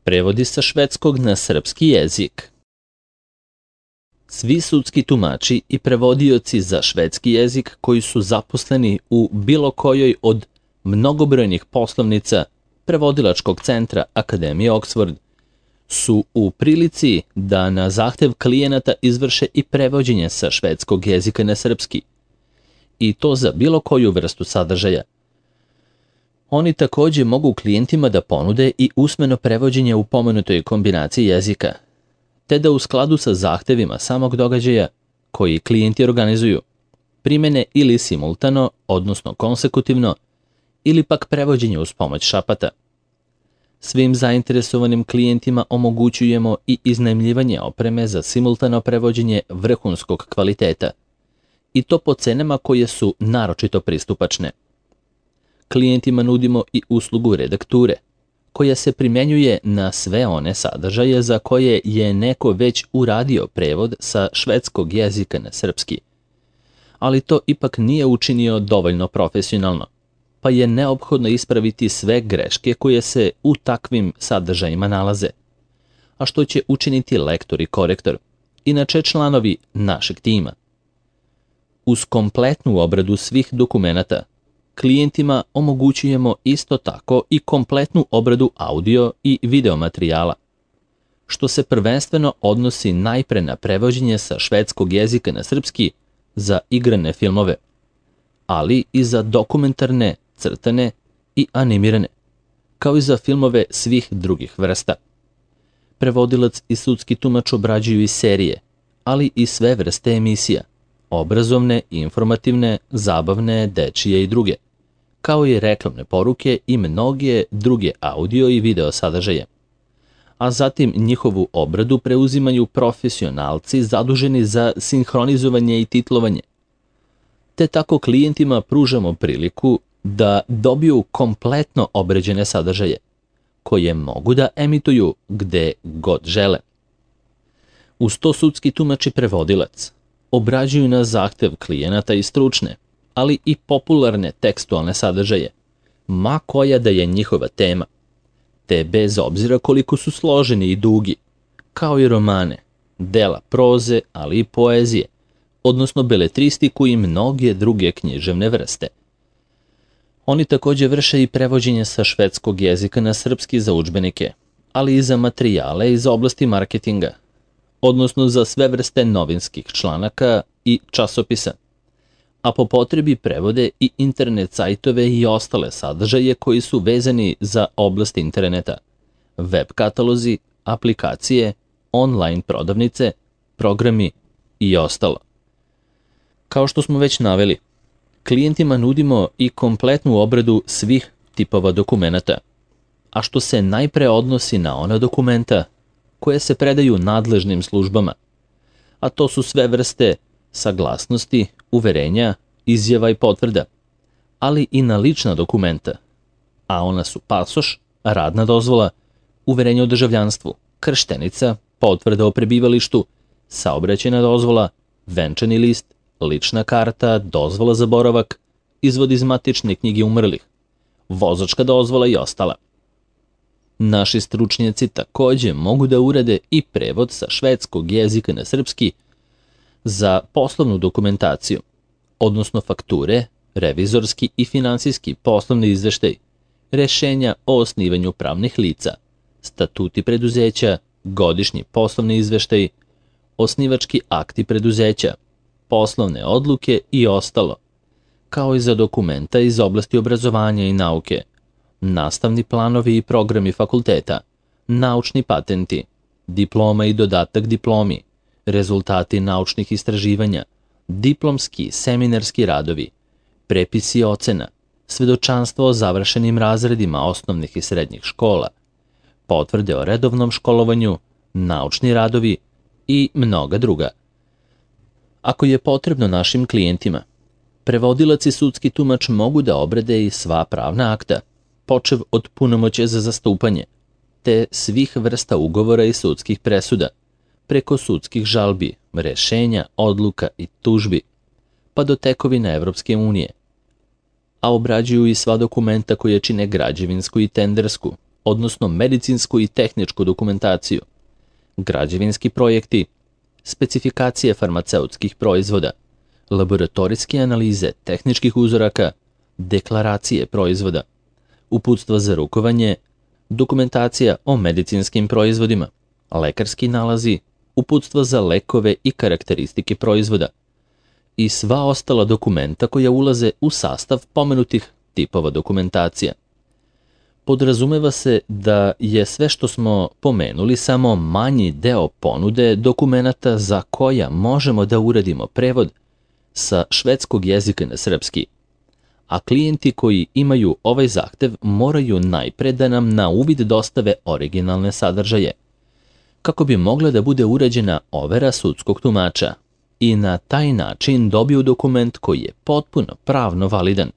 Prevodi sa švedskog na srpski jezik. Svi sudski tumači i prevodioci za švedski jezik koji su zaposleni u bilo kojoj od mnogobrojnih poslovnica prevodilačkog centra Akademije Oxford su u prilici da na zahtev klijenata izvrše i prevođenje sa švedskog jezika na srpski, i to za bilo koju vrstu sadržaja. Oni takođe mogu klijentima da ponude i usmeno prevođenje u pomenutoj kombinaciji jezika, te da u skladu sa zahtevima samog događaja koji klijenti organizuju, primene ili simultano, odnosno konsekutivno, ili pak prevođenje uz pomoć šapata. Svim zainteresovanim klijentima omogućujemo i iznajmljivanje opreme za simultano prevođenje vrhunskog kvaliteta, i to po cenama koje su naročito pristupačne. Klijentima nudimo i uslugu redakture, koja se primjenjuje na sve one sadržaje za koje je neko već uradio prevod sa švedskog jezika na srpski, ali to ipak nije učinio dovoljno profesionalno, pa je neophodno ispraviti sve greške koje se u takvim sadržajima nalaze, a što će učiniti lektor i korektor, inače članovi našeg tima. Uz kompletnu obradu svih dokumenata, klijentima omogućujemo isto tako i kompletnu obradu audio i video materijala, što se prvenstveno odnosi najpre na prevođenje sa švedskog jezika na srpski za igrane filmove, ali i za dokumentarne, crtane i animirane, kao i za filmove svih drugih vrsta. Prevodilac i sudski tumač obrađuju i serije, ali i sve vrste emisija, obrazovne, informativne, zabavne, dečije i druge, kao i reklamne poruke i mnoge druge audio i video sadržaje. A zatim njihovu obradu preuzimaju profesionalci zaduženi za sinhronizovanje i titlovanje. Te tako klijentima pružamo priliku da dobiju kompletno obrađene sadržaje, koje mogu da emituju gde god žele. Uz to sudski tumač i prevodilac obrađuju na zahtev klijenata i stručne, ali i popularne tekstualne sadržaje, ma koja da je njihova tema, te bez obzira koliko su složeni i dugi, kao i romane, dela proze, ali i poezije, odnosno beletristiku i mnoge druge književne vrste. Oni takođe vrše i prevođenje sa švedskog jezika na srpski za udžbenike, ali i za materijale iz oblasti marketinga, odnosno za sve vrste novinskih članaka i časopisa, a po potrebi prevode i internet sajtove i ostale sadržaje koji su vezani za oblast interneta, web katalozi, aplikacije, online prodavnice, programi i ostalo. Kao što smo već naveli, klijentima nudimo i kompletnu obradu svih tipova dokumenata, a što se najpre odnosi na ona dokumenta koje se predaju nadležnim službama, a to su sve vrste saglasnosti, uverenja, izjava i potvrda, ali i na lična dokumenta, a ona su pasoš, radna dozvola, uverenje o državljanstvu, krštenica, potvrda o prebivalištu, saobraćajna dozvola, venčani list, lična karta, dozvola za boravak, izvod iz matične knjige umrlih, vozačka dozvola i ostala. Naši stručnjaci takođe mogu da urade i prevod sa švedskog jezika na srpski za poslovnu dokumentaciju, odnosno fakture, revizorski i finansijski poslovni izveštaj, rešenja o osnivanju pravnih lica, statuti preduzeća, godišnji poslovni izveštaj, osnivački akti preduzeća, poslovne odluke i ostalo, kao i za dokumenta iz oblasti obrazovanja i nauke, nastavni planovi i programi fakulteta, naučni patenti, diploma i dodatak diplomi, rezultati naučnih istraživanja, diplomski, seminarski radovi, prepisi ocena, svedočanstvo o završenim razredima osnovnih i srednjih škola, potvrde o redovnom školovanju, naučni radovi i mnoga druga. Ako je potrebno našim klijentima, prevodilac i sudski tumač mogu da obrade i sva pravna akta, počev od punomoćja za zastupanje, te svih vrsta ugovora i sudskih presuda, preko sudskih žalbi, rešenja, odluka i tužbi, pa do tekovina Evropske unije, a obrađuju i sva dokumenta koje čine građevinsku i tendersku, odnosno medicinsku i tehničku dokumentaciju, građevinski projekti, specifikacije farmaceutskih proizvoda, laboratorijske analize tehničkih uzoraka, deklaracije proizvoda, uputstva za rukovanje, dokumentacija o medicinskim proizvodima, lekarski nalazi, uputstva za lekove i karakteristike proizvoda i sva ostala dokumenta koja ulaze u sastav pomenutih tipova dokumentacija. Podrazumeva se da je sve što smo pomenuli samo manji deo ponude dokumenata za koja možemo da uradimo prevod sa švedskog jezika na srpski, a klijenti koji imaju ovaj zahtev moraju najpre da nam na uvid dostave originalne sadržaje, kako bi mogla da bude urađena overa sudskog tumača i na taj način dobiju dokument koji je potpuno pravno validan.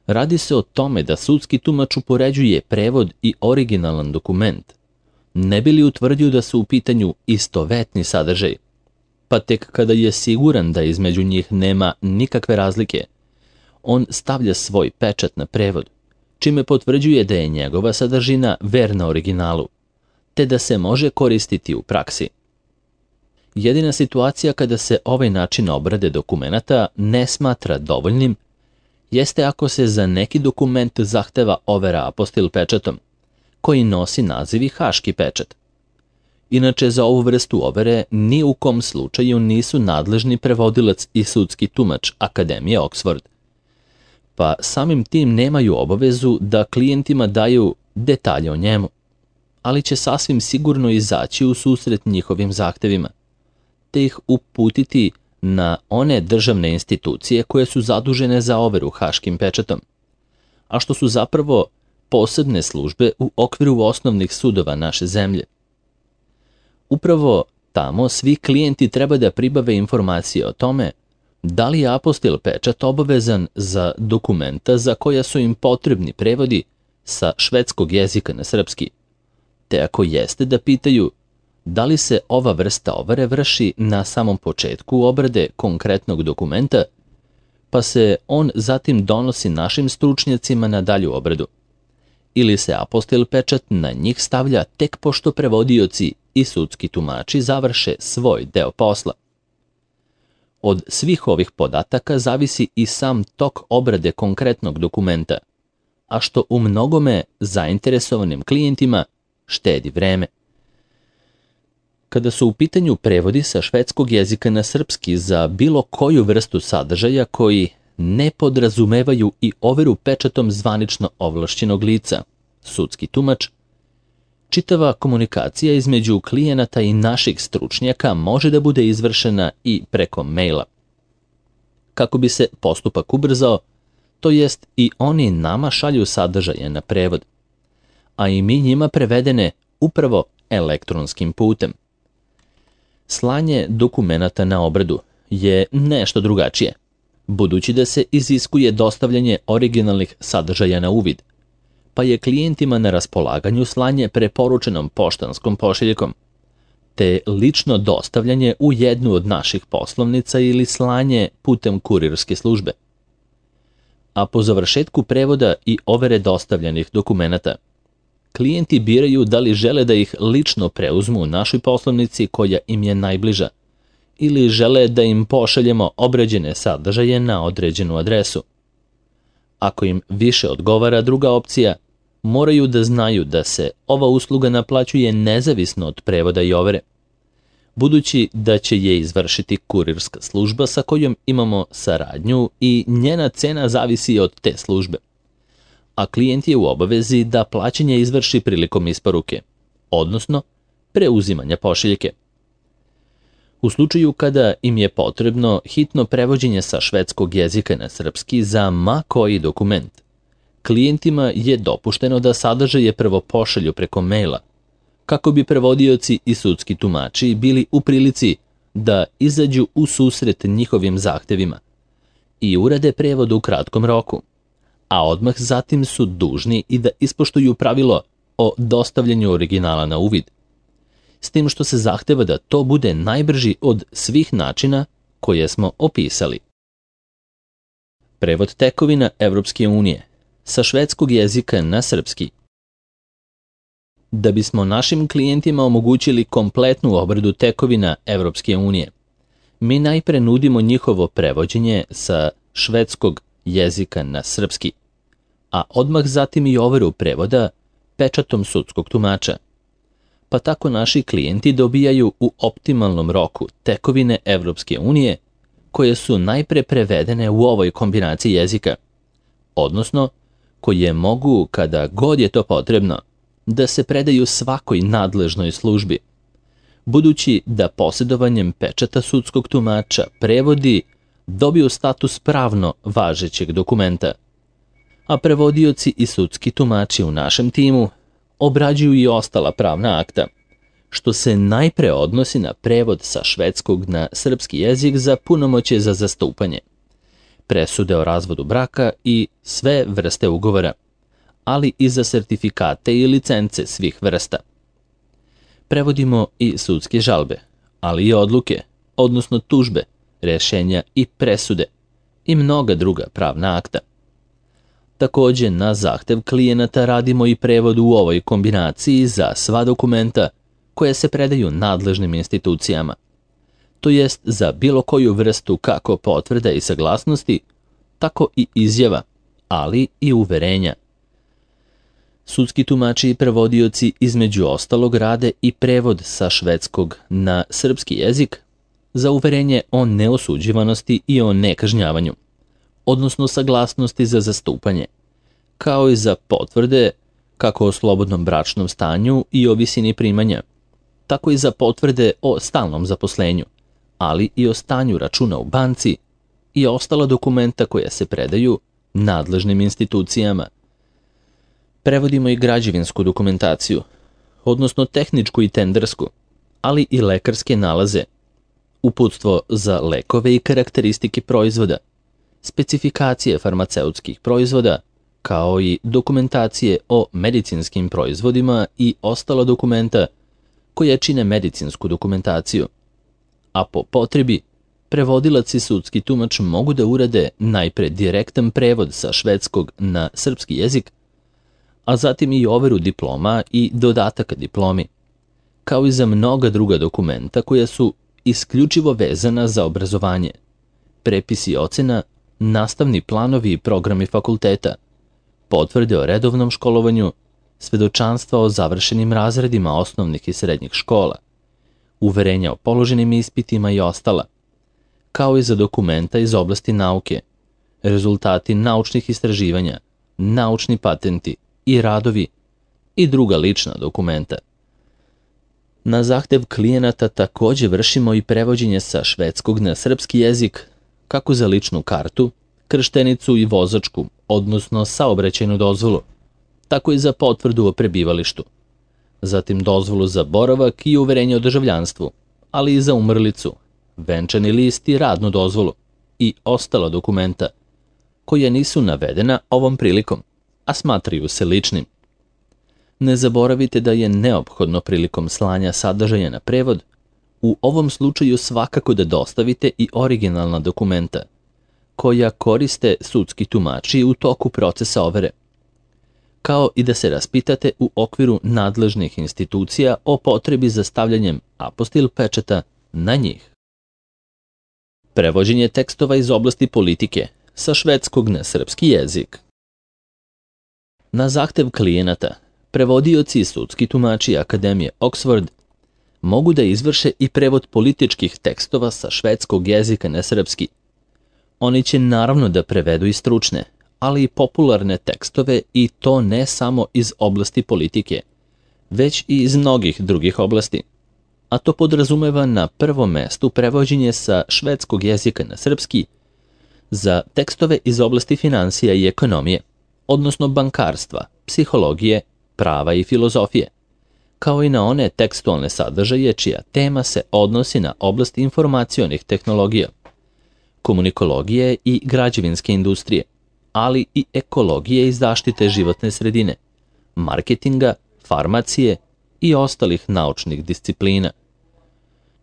Radi se o tome da sudski tumač upoređuje prevod i originalan dokument, ne bi li utvrdio da su u pitanju istovetni sadržaj, pa tek kada je siguran da između njih nema nikakve razlike, on stavlja svoj pečat na prevod, čime potvrđuje da je njegova sadržina verna originalu, te da se može koristiti u praksi. Jedina situacija kada se ovaj način obrade dokumenata ne smatra dovoljnim jeste ako se za neki dokument zahteva overa apostil pečatom, koji nosi naziv i haški pečat. Inače, za ovu vrstu overe ni u kom slučaju nisu nadležni prevodilac i sudski tumač Akademije Oxford, pa samim tim nemaju obavezu da klijentima daju detalje o njemu, ali će sasvim sigurno izaći u susret njihovim zahtevima, te ih uputiti na one državne institucije koje su zadužene za overu haškim pečatom, a što su zapravo posebne službe u okviru osnovnih sudova naše zemlje. Upravo tamo svi klijenti treba da pribave informacije o tome da li je apostil pečat obavezan za dokumenta za koja su im potrebni prevodi sa švedskog jezika na srpski, te ako jeste da pitaju da li se ova vrsta overe vrši na samom početku obrade konkretnog dokumenta, pa se on zatim donosi našim stručnjacima na dalju obradu, ili se apostil pečat na njih stavlja tek pošto prevodioci i sudski tumači završe svoj deo posla. Od svih ovih podataka zavisi i sam tok obrade konkretnog dokumenta, a što u mnogome zainteresovanim klijentima štedi vreme. Kada su u pitanju prevodi sa švedskog jezika na srpski za bilo koju vrstu sadržaja koji ne podrazumevaju i overu pečatom zvanično ovlašćenog lica, sudski tumač, čitava komunikacija između klijenata i naših stručnjaka može da bude izvršena i preko maila. Kako bi se postupak ubrzao, to jest i oni nama šalju sadržaje na prevod, a i mi njima prevedene upravo elektronskim putem. Slanje dokumenata na obradu je nešto drugačije, budući da se iziskuje dostavljanje originalnih sadržaja na uvid, pa je klijentima na raspolaganju slanje preporučenom poštanskom pošiljkom, te lično dostavljanje u jednu od naših poslovnica ili slanje putem kurirske službe. A po završetku prevoda i overe dostavljenih dokumenata, klijenti biraju da li žele da ih lično preuzmu u našoj poslovnici koja im je najbliža, ili žele da im pošaljemo obrađene sadržaje na određenu adresu. Ako im više odgovara druga opcija, moraju da znaju da se ova usluga naplaćuje nezavisno od prevoda i overe, budući da će je izvršiti kurirska služba sa kojom imamo saradnju i njena cena zavisi od te službe, a klijent je u obavezi da plaćanje izvrši prilikom isporuke, odnosno preuzimanja pošiljke. U slučaju kada im je potrebno hitno prevođenje sa švedskog jezika na srpski za ma koji dokument, klijentima je dopušteno da sadržaje prvo pošalju preko maila, kako bi prevodioci i sudski tumači bili u prilici da izađu u susret njihovim zahtevima i urade prevod u kratkom roku, a odmah zatim su dužni i da ispoštuju pravilo o dostavljanju originala na uvid, s tim što se zahteva da to bude najbrži od svih načina koje smo opisali. Prevod tekovina Evropske unije sa švedskog jezika na srpski. Da bismo našim klijentima omogućili kompletnu obradu tekovina Evropske unije, mi najpre nudimo njihovo prevođenje sa švedskog jezika na srpski, a odmah zatim i overu prevoda pečatom sudskog tumača. Pa tako naši klijenti dobijaju u optimalnom roku tekovine Evropske unije koje su najpre prevedene u ovoj kombinaciji jezika, odnosno koje mogu, kada god je to potrebno, da se predaju svakoj nadležnoj službi, budući da posjedovanjem pečata sudskog tumača prevodi dobiju status pravno važećeg dokumenta, a prevodioci i sudski tumači u našem timu obrađuju i ostala pravna akta, što se najpre odnosi na prevod sa švedskog na srpski jezik za punomoćje za zastupanje, presude o razvodu braka i sve vrste ugovora, ali i za sertifikate i licence svih vrsta. Prevodimo i sudske žalbe, ali i odluke, odnosno tužbe, rješenja i presude i mnoga druga pravna akta. Također, na zahtev klijenata radimo i prevod u ovoj kombinaciji za sva dokumenta koje se predaju nadležnim institucijama, to jest za bilo koju vrstu kako potvrda i saglasnosti, tako i izjava, ali i uverenja. Sudski tumači i prevodioci između ostalog rade i prevod sa švedskog na srpski jezik za uverenje o neosuđivanosti i o nekažnjavanju, odnosno saglasnosti za zastupanje, kao i za potvrde kako o slobodnom bračnom stanju i o visini primanja, tako i za potvrde o stalnom zaposlenju, ali i o stanju računa u banci i ostala dokumenta koja se predaju nadležnim institucijama. Prevodimo i građevinsku dokumentaciju, odnosno tehničku i tendersku, ali i lekarske nalaze, uputstvo za lekove i karakteristike proizvoda, specifikacije farmaceutskih proizvoda, kao i dokumentacije o medicinskim proizvodima i ostala dokumenta koja čine medicinsku dokumentaciju. A po potrebi, prevodilac i sudski tumač mogu da urade najpre direktan prevod sa švedskog na srpski jezik, a zatim i overu diploma i dodataka diplomi, kao i za mnoga druga dokumenta koja su isključivo vezana za obrazovanje, prepisi ocena, nastavni planovi i programi fakulteta, potvrde o redovnom školovanju, svedočanstva o završenim razredima osnovnih i srednjih škola, uverenja o položenim ispitima i ostala, kao i za dokumenta iz oblasti nauke, rezultati naučnih istraživanja, naučni patenti i radovi i druga lična dokumenta. Na zahtev klijenata također vršimo i prevođenje sa švedskog na srpski jezik, kako za ličnu kartu, krštenicu i vozačku, odnosno saobraćajnu dozvolu, tako i za potvrdu o prebivalištu, zatim dozvolu za boravak i uverenje o državljanstvu, ali i za umrlicu, venčani list i radnu dozvolu i ostala dokumenta, koja nisu navedena ovom prilikom, a smatraju se ličnim. Ne zaboravite da je neophodno prilikom slanja sadržaja na prevod, u ovom slučaju svakako da dostavite i originalna dokumenta, koja koriste sudski tumači u toku procesa overe, kao i da se raspitate u okviru nadležnih institucija o potrebi za stavljanjem apostil pečata na njih. Prevođenje tekstova iz oblasti politike sa švedskog na srpski jezik. Na zahtev klijenata, prevodioci i sudski tumači Akademije Oxford mogu da izvrše i prevod političkih tekstova sa švedskog jezika na srpski. Oni će naravno da prevedu i stručne, ali i popularne tekstove, i to ne samo iz oblasti politike, već i iz mnogih drugih oblasti. A to podrazumeva na prvom mestu prevođenje sa švedskog jezika na srpski za tekstove iz oblasti finansija i ekonomije, odnosno bankarstva, psihologije, prava i filozofije, kao i na one tekstualne sadržaje čija tema se odnosi na oblast informacionih tehnologija, komunikologije i građevinske industrije, ali i ekologije i zaštite životne sredine, marketinga, farmacije i ostalih naučnih disciplina.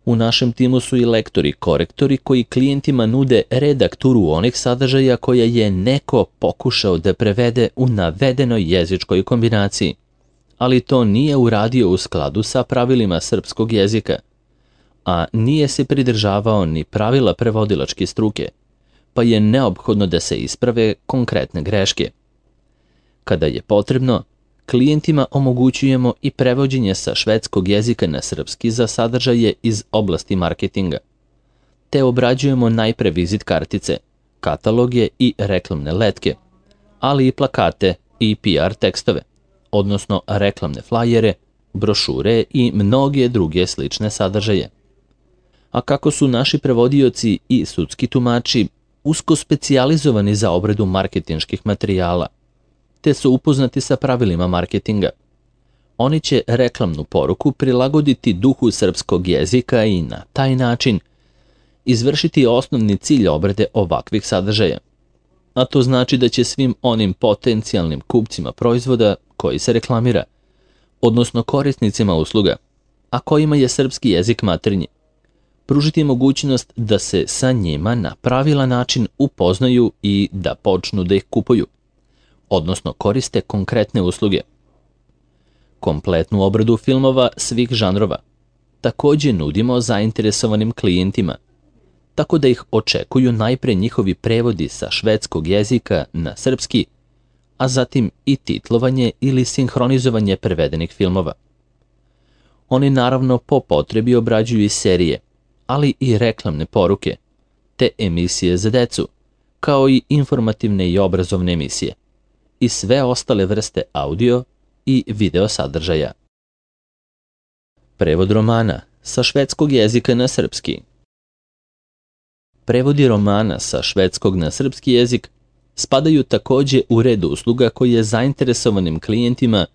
U našem timu su i lektori, korektori koji klijentima nude redakturu onih sadržaja koje je neko pokušao da prevede u navedenoj jezičkoj kombinaciji, ali to nije uradio u skladu sa pravilima srpskog jezika, a nije se pridržavao ni pravila prevodilačke struke, pa je neophodno da se isprave konkretne greške. Kada je potrebno, klijentima omogućujemo i prevođenje sa švedskog jezika na srpski za sadržaje iz oblasti marketinga, te obrađujemo najpre vizit kartice, kataloge i reklamne letke, ali i plakate i PR tekstove, odnosno reklamne flajere, brošure i mnoge druge slične sadržaje. A kako su naši prevodioci i sudski tumači usko specijalizovani za obradu marketinških materijala, te su upoznati sa pravilima marketinga, oni će reklamnu poruku prilagoditi duhu srpskog jezika i na taj način izvršiti osnovni cilj obrade ovakvih sadržaja. A to znači da će svim onim potencijalnim kupcima proizvoda koji se reklamira, odnosno korisnicima usluga, a kojima je srpski jezik maternji, pružiti mogućnost da se sa njima na pravilan način upoznaju i da počnu da ih kupuju, odnosno koriste konkretne usluge. Kompletnu obradu filmova svih žanrova također nudimo zainteresovanim klijentima, tako da ih očekuju najpre njihovi prevodi sa švedskog jezika na srpski, a zatim i titlovanje ili sinhronizovanje prevedenih filmova. Oni naravno po potrebi obrađuju i serije, ali i reklamne poruke, te emisije za decu, kao i informativne i obrazovne emisije, i sve ostale vrste audio i video sadržaja. Prevod romana sa švedskog jezika na srpski. Prevodi romana sa švedskog na srpski jezik spadaju također u red usluga koje zainteresovanim klijentima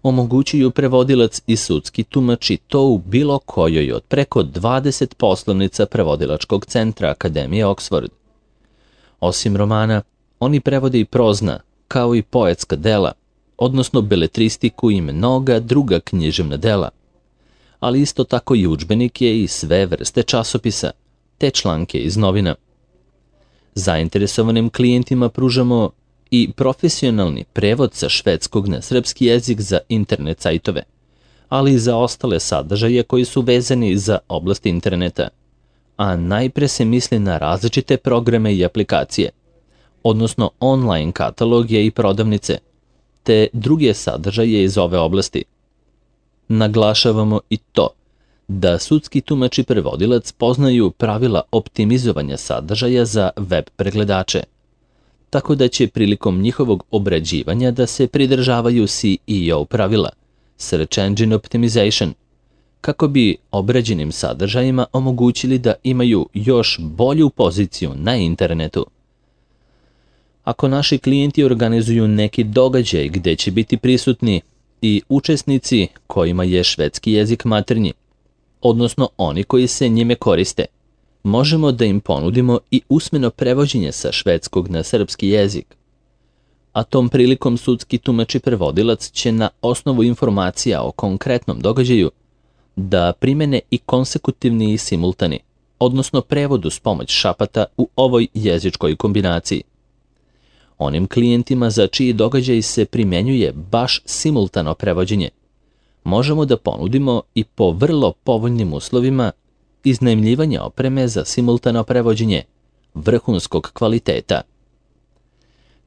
omogućuju prevodilac i sudski tumač i to u bilo kojoj od preko 20 poslovnica prevodilačkog centra Akademije Oxford. Osim romana, oni prevode i prozna, kao i poetska dela, odnosno beletristiku i mnoga druga književna dela, ali isto tako i udžbenike i sve vrste časopisa, te članke iz novina. Zainteresovanim klijentima pružamo i profesionalni prevod sa švedskog na srpski jezik za internet sajtove, ali i za ostale sadržaje koji su vezani za oblast interneta, a najpre se misli na različite programe i aplikacije, odnosno online kataloge i prodavnice, te druge sadržaje iz ove oblasti. Naglašavamo i to da sudski tumač i prevodilac poznaju pravila optimizovanja sadržaja za web pregledače, tako da će prilikom njihovog obrađivanja da se pridržavaju SEO pravila, Search Engine Optimization, kako bi obrađenim sadržajima omogućili da imaju još bolju poziciju na internetu. Ako naši klijenti organizuju neki događaj gdje će biti prisutni i učesnici kojima je švedski jezik maternji, odnosno oni koji se njime koriste, možemo da im ponudimo i usmeno prevođenje sa švedskog na srpski jezik. A tom prilikom sudski tumač i prevodilac će na osnovu informacija o konkretnom događaju da primene i konsekutivni i simultani, odnosno prevodu s pomoć šapata u ovoj jezičkoj kombinaciji. Onim klijentima za čiji događaj se primjenjuje baš simultano prevođenje, možemo da ponudimo i po vrlo povoljnim uslovima iznajmljivanje opreme za simultano prevođenje vrhunskog kvaliteta.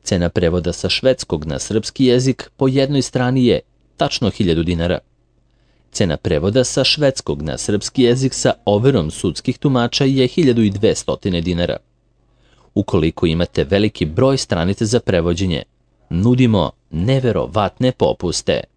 Cena prevoda sa švedskog na srpski jezik po jednoj strani je tačno 1000 dinara. Cena prevoda sa švedskog na srpski jezik sa overom sudskih tumača je 1200 dinara. Ukoliko imate veliki broj stranica za prevođenje, nudimo neverovatne popuste.